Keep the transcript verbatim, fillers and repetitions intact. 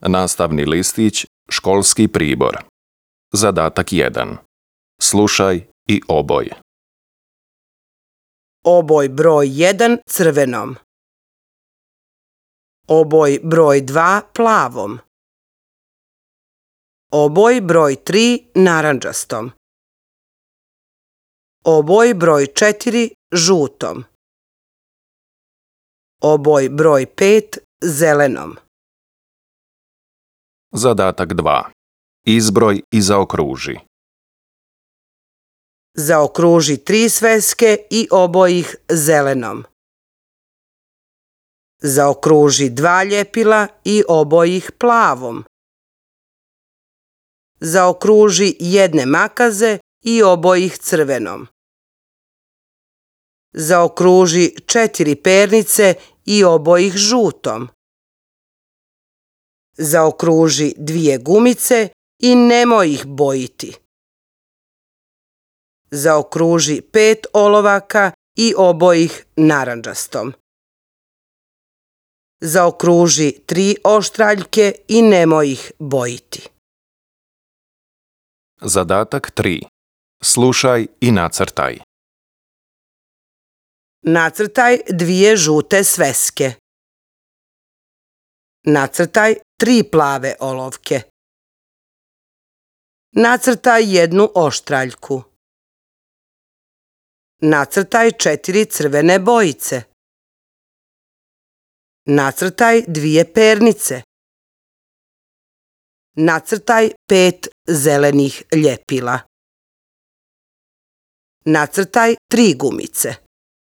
Nastavni listić, školski pribor. Zadatak jedan. Slušaj i oboj. Oboj broj jedan crvenom. Oboj broj dva plavom. Oboj broj tri narandžastom. Oboj broj četiri žutom. Oboj broj pet zelenom. Zadatak dva. Izbroj i zaokruži. Zaokruži tri sveske i oboj ih zelenom. Zaokruži dva ljepila i oboj ih plavom. Zaokruži jedne makaze i oboj ih crvenom. Zaokruži četiri pernice i oboj ih žutom. Zaokruži dvije gumice i nemoj ih bojiti. Zaokruži pet olovaka i oboj ih narandžastom. Zaokruži tri oštraljke i nemoj ih bojiti. Zadatak tri. Slušaj i nacrtaj. Nacrtaj dvije žute sveske. Nacrtaj tri plave olovke. Nacrtaj jednu oštraljku. Nacrtaj četiri crvene bojice. Nacrtaj dvije pernice. Nacrtaj pet zelenih ljepila. Nacrtaj tri gumice.